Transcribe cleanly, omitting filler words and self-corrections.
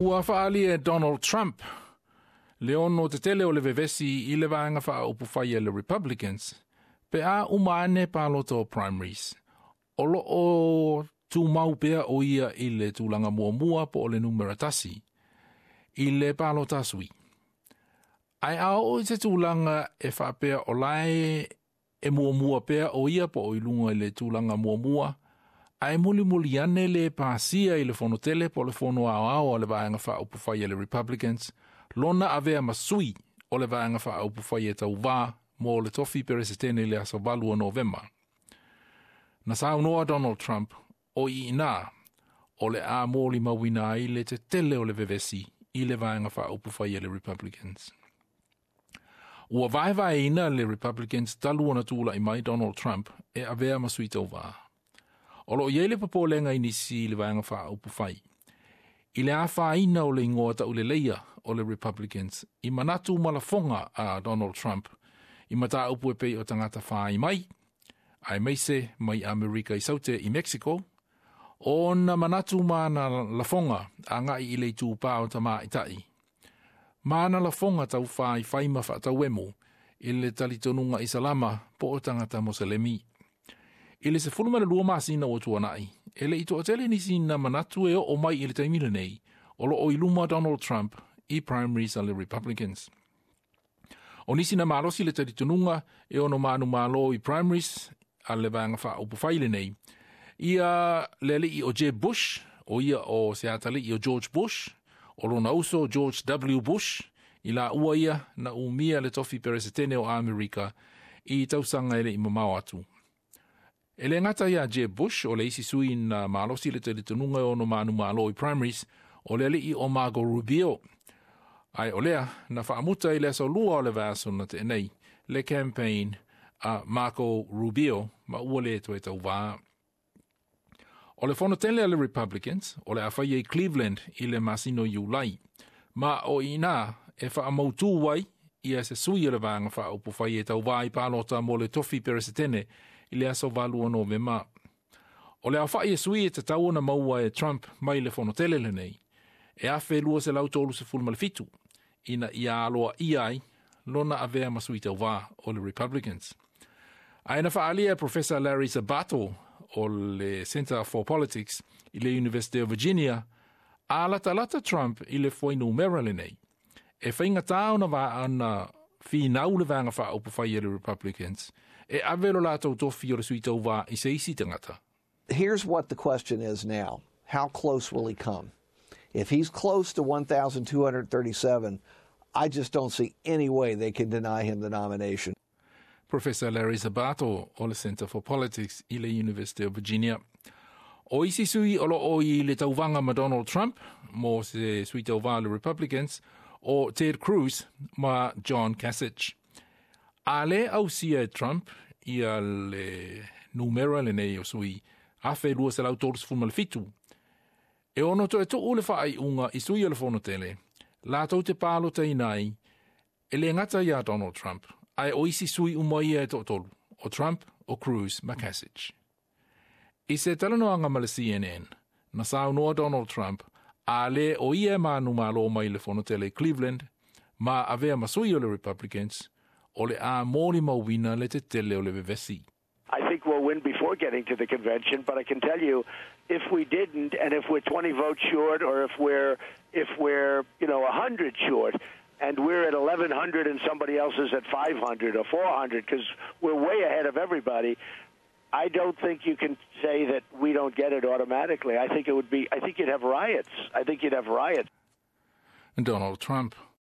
Ua faaalia e Donald Trump le ono tetele o le vevesi i le vaega faaupufai a le Republicans pe a uma ane palota o primaries. O lo o tumau pea o ia i le tulaga muamua po o le numera 1 i le palota a sui. Ae a oo i se tulaga e faapea o lae e muamua pea o ia po o i luga i le tulaga muamua, ae mulimuli ane le pasia i le fono tele po o le fono aoao a le vaega faaupufai a le Republicans, lona avea ma sui o le vaega faaupufai e tauvā mo le tofi peresetene i le aso 8 o Novema. Na saunoa Donald Trump o i ina o le a molimauina ai le tetele o le vevesi i le vaega faaupufai a le Republicans. Ua vaevaeina le Republicans talu ona tulai mai Donald Trump e avea ma sui tauvā. O lo o i ai le popolega i nisi i le vaega faaupufai i le afaina o le igoa tauleleia o le Republicans i manatu ma lafoga a Donald Trump i mataupu e pei o tagata fai mai, aemaise mai Amerika i Saute i Mexico, ona manatu ma ana lafoga agai i le itupā o tamaitai. Ma ana lafoga taufaifai ma faatauemu i le talitonuga Isalama po o tagata Moselemi. I le 12 masina ua tuanai, e le i toatele nisi na manatu e oo mai i le taimi lenei, o lo o i luma Donald Trump i primaries a le Republicans. O nisi na malosi le talitonuga e ono manumalo i primaries a le vaega faaupufai lenei, ia le alii o Jeb Bush, o ia o se atalii o George Bush, o lona uso George W. Bush, i la ua ia na umia le tofi peresetene o Amerika i tausaga e le i mamao atu. E le gata ia Jeb Bush o le isi sui na malosi le talitonuga e ono manumalo i primaries, o le alii o Marco Rubio. Ae o lea na faamuta i le aso 2 o le vaiaso na tea nei le campaign a Marco Rubio ma ua le toe tauvā. O le fono tele a le Republicans, o le a faia i Cleveland i le masina o Iulai, ma o i ina e faamautū ai ia se sui o le vaega faaupufai e tauvā i palota mo le tofi peresetene i le aso 8 o Novema. O le aofa'i e sui e tatau ona maua e Trump mai le fono tele lenei, e 1,237 ina ia aloaia ai lona avea ma sui tauvā o le Republicans. Ae na faaalia e Professor Larry Sabato o le Center for Politics i le University of Virginia, a latalata Trump i le fuainumera lenei, e faigata ona ona finau le vaega faaupufai a le Republicans e ave lo latou tofi o le sui tauvā i se isi tagata. Here's what the question is now. How close will he come? If he's close to 1,237, I just don't see any way they can deny him the nomination. Professor Larry Sabato o le Center for Politics i le University of Virginia. O isi sui o lo o i le tauvaga ma Donald Trump mo se sui tauvā le Republicans o Ted Cruz ma John Kasich. A le ausia e Trump ia le numera lenei o sui 1,237, e ono toe tuu le faaiuga i sui o le fono tele, latou te palotaina ai e le gata ia Donald Trump, ae o isi sui uma ia e toatolu, o Trump, o Cruz ma Kasich. I se talanoaga ma le CNN, na saunoa Donald Trump a le o ia e manumalo mai le fono tele i Cleveland, ma avea ma sui o le Republicans, o le a molimauina le tetele o le vevesi. I think we'll win before getting to the convention, but I can tell you, if we didn't, and if we're 20 votes short, or if we're 100 short, and we're at 1,100 and somebody else is at 500 or 400 because we're way ahead of everybody, I don't think you can say that we don't get it automatically. I think it would be. I think you'd have riots. I think you'd have riots. Donald Trump.